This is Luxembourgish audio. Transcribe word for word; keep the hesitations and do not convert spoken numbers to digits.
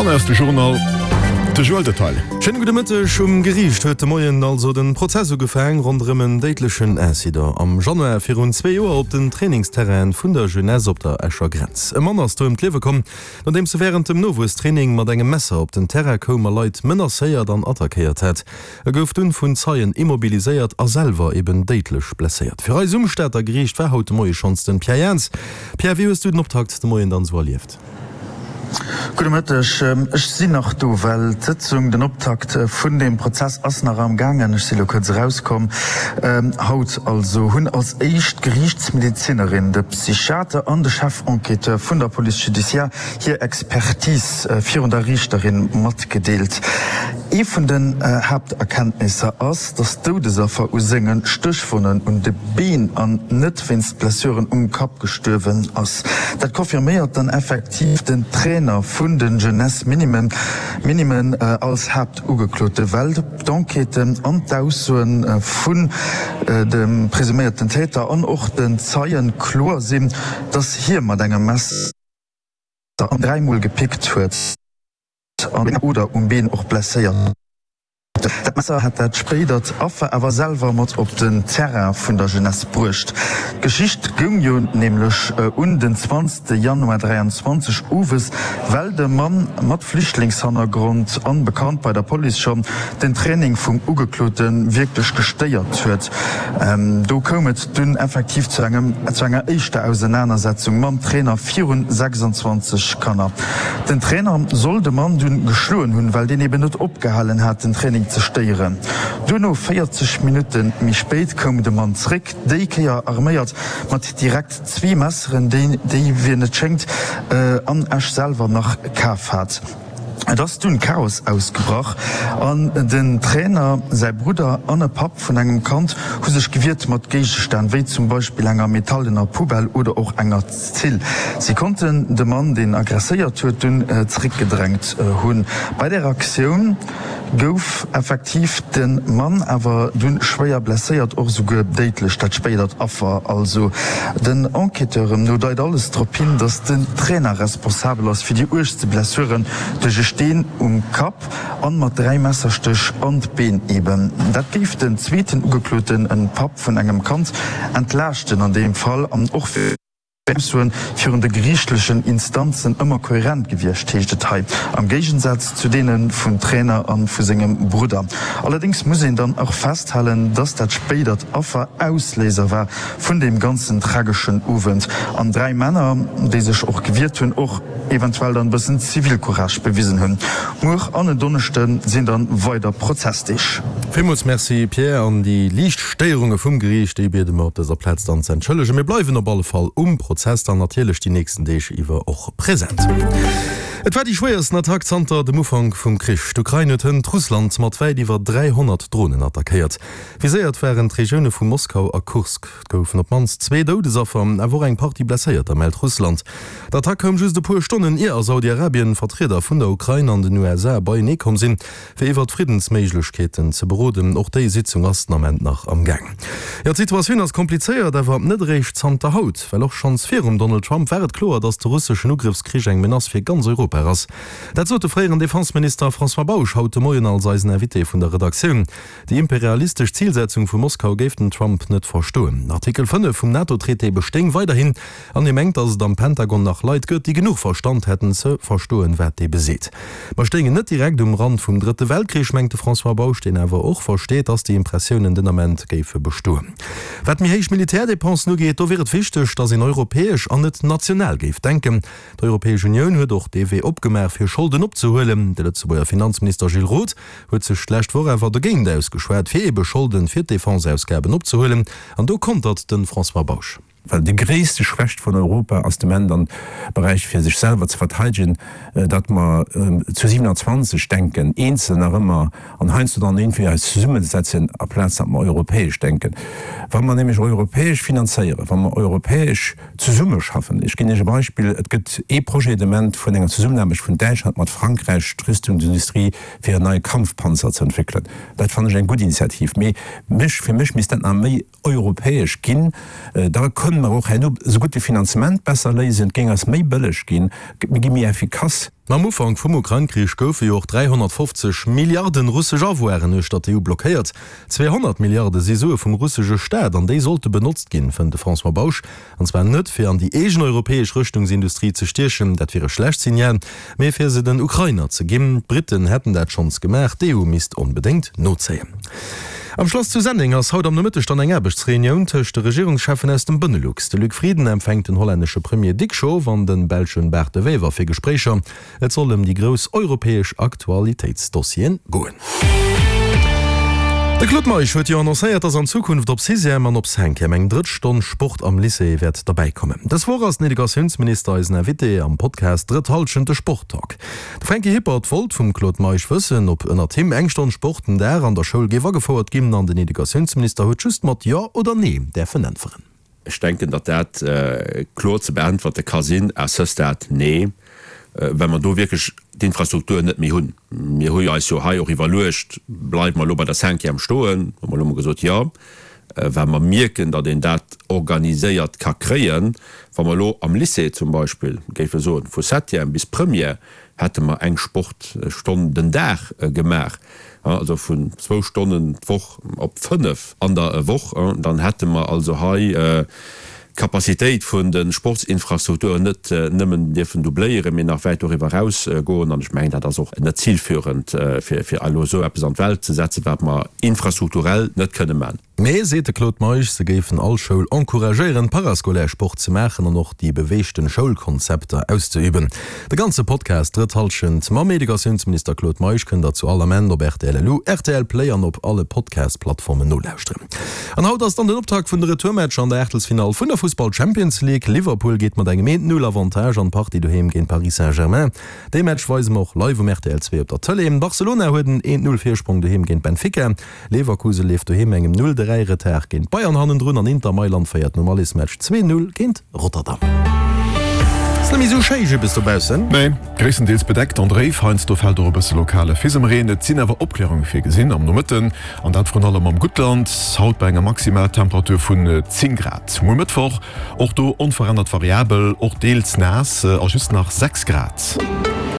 An aus de Journal de Joël Detail. Schéine gudde Mëtteg. Um Geriicht huet de Moien also den Prozess ugefaang ronderëm en déidlechen Incident am Januar virun zwee Joer op den Trainingsterrainen vun der Jeunesse op der Escher Grenz. E Mann ass do ëm d'Liewe komm, nodeems e wärend dem Nowuesstraining mat engem Messer op den Terrain koum a Leit menacéiert an attackéiert hat. E gouf dunn vun Zeien immobiliséiert a selwer eben déidlech blesséiert. Fir eis um Stater Geriicht war haut de Moie schonns den Pierre Jans. Pierre, wéi hues du den Optakt de Moien dann esou erlieft? Gudde Mëtteg. Ech sinn nach do, well d'Sëtzung, den Optakt vun deem Prozess ass nach am gaangen. Ech si lo kuerz erauskomm. Haut also hunn als éischt d'Geriichtsmedezinerin, de Psychiater an de Chef-Enquêteur vun der Police judiciaire hir Expertise virun der Riichterin matgedeelt. Ee vun den Haapterkenntnisser ass, datt d'Doudesaffer u senge Stéchwonnen un de Been an net wéinst Blessuren um Kapp gestuerwen ass. Dat confirméiert dann effektiv den Trainer vun de Jeunesse Minimen Minimen als Haaptugeklote, well d'Enquêten an d'Aussoe vun dem presuméierten Täter an och den Zeie kloer sinn, datt hie mat engem Messer dräi Mol gepickt huet an oder um Been och blesséiert. Dat Messer hat dat spéidert Affer awer selwer mat op den Terrain vun der Jeunesse bruecht. D'Geschicht goung jo nämlech un den zwanzegste Januar dräianzwanzeg owes, well de Mann mat Flüchtlingshannergrond an bekannt bei der Police schonn, den Training vum Ugeklote wierklech gestéiert huet. Do koum et dunn effektiv zu engem zu enger éischter Ausenanersetzung mam Trainer virun sechsundzwanzeg Kanner. Den Trainer soll de Mann dunn geschloen hunn, well deen eben net opgehalen hat den Training ze stéieren. Duerno, véierzeg Minutte méi spéit, koum de Mann zréck, déi Kéier arméiert mat direkt zwee Messeren, déi déi wien et schéngt an Esch selwer nach kaf hat. Et ass dunn Chaos ausgebrach an den Trainer, säi Brudder an e Papp vun engem Kand hu sech gewiert mat Géigestänn, wéi zum Beispill enger metallener Poubelle oder och enger Zill. Si konnten de Mann, deen aggresséiert huet, dunn zeréckgedrängt hunn. Bei där Aktioun gouf effektiv de Mann awer dunn schwéier blesséiert, och esouguer déidlech, dat spéidert Affer also. Den Enquêteuren no deit alles drop hin, datt den Trainer responsabel ass fir déi uergste Blessuren duerch e Steen um Kapp an mat dräi Messerstéch an d'Been eben. Dat géif den zweeten Ugekloten, en Papp vun engem Kand, entlaaschten an deem Fall an och fir Aussoen virun de geriichtlechen Instanzen ëmmer kohärent gewiescht, heescht et hei, am Géigensaz zu deene vum Trainer a vu sengem Brudder. Allerdéngs muss een dann och festhalen, dass dat spéidert Affer Ausléiser war vun deem ganzen trageschen Owend an dräi Männer, déi sech och gewiert hunn, och eventuell dann e bëssen Zivilcourage bewisen hunn. Muer an en Donneschde sinn dann weider Prozessdeeg. Villmools Merci Pierre, an déi liicht Stéierunge vum Geriicht, déi biede mer op dëser Plaz dann ze entschëllegen. Mir bleiwen op alle Fall um Prozess dann natierlech déi nächsten Deeg iwwer och present. Et war déi schwéiersten Attack zanter dem Ufank vum Krich. D'Ukrain huet hënt Russland mat wäit iwwer dräihonnert Dronen attackéiert. Viséiert waren d'Regioune vu Moskau a Kursk. Et goufen op d'mannst zwee Doudesaffer, awer och eng Partie Blesséierter, mellt Russland. D'Attack koum just e puer Stonnen, ier a Saudi-Arabien Vertrieder vun der Ukrain an den U S A beienee komm sinn, fir iwwert Friddensméiglechkeeten ze beroden. Och déi Sitzung ass den Ament nach am Gaang. Jo, d'Situatioun ass komplizéiert, awer net eréischt zanter haut. Well och schonns virum Donald Trump war et kloer, datt de russeschen Ugrëffskrich eng Menace fir ganz Europa ass. Dat sot de fréieren Defenseminister François Bausch haut de Moien als eisen Invité vun der Redaktioun. Déi imperialistesch Zilsetzung vu Moskau géif den Trump net verstoen. Artikel fënnef vum NATO-Traité bestéing weiderhin an hie mengt, datt et am Pentagon nach Leit gëtt, déi genuch Verstand hätten ze verstoen, wat dee beseet. Mer stéingen net direkt um Rand vum Drëtte Weltkrich, mengt de François Bausch, deen awer och versteet, datt déi Impressiounen den Ament géife bestoen. Wat méi héich Militärdépensen ugeet, do wier et wichteg, datt een europäesch an net national géif denken. D'Europäesch Unioun huet och dee Wee opgemaach, fir Scholden opzehuelen. De Lëtzebuerger Finanzminister Gilles Roth huet sech d'lescht Woch awer dogéint ausgeschwat, fir ebe Scholden fir d'Defenseausgaben opzehuelen. An do kontert de François Bausch. Well déi gréisste Schwächt vun Europa ass de Moment am Beräich fir sech selwer ze verteidegen, datt mer zu siewenundzwanzeg denken, eenzel nach ëmmer an heiansdo dann iergendwéi eis zesummesetzen, aplaz datt mer europäesch denken. Wa mer nämlech europäesch finanzéieren, wa mer europäesch zesummeschaffen, ech ginn Iech e Beispill, Et gëtt ee Projet de Moment vun enger Zesummenaarbecht vun Däitschland mat Frankräich, d'Rüstungsindustrie, fir en neie Kampfpanzer ze entwéckelen. Dat fannen ech eng gutt Initiativ, mee mech, fir mech misst dat nach méi europäesch ginn. Da kënne kënne mer och herno esougutt de Finanzement besser léisen, et géing eis méi bëlleg ginn, mir gi méi effikass. Am Ufank vum Ukrain-Krich goufe jo och dräihonnertfofzeg Milliarden russesch Avoiren uechter d'EU blockéiert. Zweehonnert Milliarde si Sue vum russesche Staat an déi sollte benotzt ginn, fënnt de François Bausch. An zwar net fir an déi eegen europäesch Rëschtungsindustrie ze stiechen, dat wier e schlecht Signal, mee fir se den Ukrainer ze ginn. D'Britten hätten dat schonns gemaach, d'EU misst onbedéngt nozéien. Am Schlass zu Senneng ass haut am Nomëtteg dann eng Aarbechtsreunioun tëscht de Regierungscheffen aus dem Benelux. De Luc Frieden empfänkt den hollännesche Premier Dick Schoof an de belschen Bart De Wever fir Gespréicher. Et soll ëm déi grouss europäesch Aktualitéitsdossieren goen. De Claude Meisch huet jo annoncéiert, dass an Zukunft op Sixième an op Cinquième eng drëtt Stonn Sport am Lycée wäert derbäikommen. Dës Woch ass den Educatiounsminister eisen Invité am Podcast Drëtt Hallschent, de Sporttalk. De Franky Hippert wollt vum Claude Meisch wëssen, ob ënnert him eng Stonn Sport den Dag an der Schoul géif agefouert ginn an den Educatiounsminister huet just mat Jo oder Nee däerfen äntweren. Ech denken, datt dat kloer ze beäntwerte ka sinn, à ce stade, nee, well mer do wierklech d'Infrastruktur net méi hunn. Mir hu eis jo hei och iwwerluecht, Bleiwe mer elo bei der Cinquième stoen? Hu mer elo emol gesot, Jo, well mer mierken, datt een dat organiséiert ka kréien. Wa mer elo am Lycée zum Beispill géife soen, vu Septième bis Première hätte mer eng Sportstonn den Dag gemaach, also vun zwou Stonnen d'Woch op fënnef an der Woch, dann hätte mer also hei d'Capacitéit vun de Sportsinfrastrukturen net nëmmen dierfen doubléieren, mee nach wäit doriwwer eraus goen. An ech mengen, dat ass och net zilführend, fir elo esou eppes an d'Welt ze setzen, wat mer infrastrukturell net kënne man. Mee, seet de Claude Meisch, se géifen all Schoul encouragéieren, parascolaire Sport ze maachen an och déi beweegten Schoulkonzepter auszeüben. De ganze Podcast Drëtt Hallschent mam Educatiounsminister Claude Meisch kënnt der zu all Ament op rtl LU, rtl Play an op alle Podcast-Plattformen nolauschteren. An haut ass dann den Optakt vun de Retourmatcher an der Aachtelsfinall vun der Fussball-Champions League. Liverpool geet mat engem eent Null Avantage an d'Partie doheem géint Paris Saint-Germain. Dee Match weise mer och live um rtl zwee op der Tëlee. Barcelona huet en eent Null Virsprong doheem géint Benfica. Leverkusen leeft doheem engem Null dräi Retard géint Bayern hannendrun an Inter Mailand féiert nom Allesmatch zwee Null géint Rotterdam. Ass net méi sou schéi jibbes dobaussen. Nee, gréisstendeels bedeckt an dréif, heiansdo fält och e bësse lokale Fisemreen. Et sinn awer Opklärunge virgesinn am Nomëtten, an dat vrun allem am Guttland, haut bei enger Maximaltemperatur vun zéng Grad. Muer Mëttwoch och do onverännert variabel, och deels naass a just nach sechs Grad.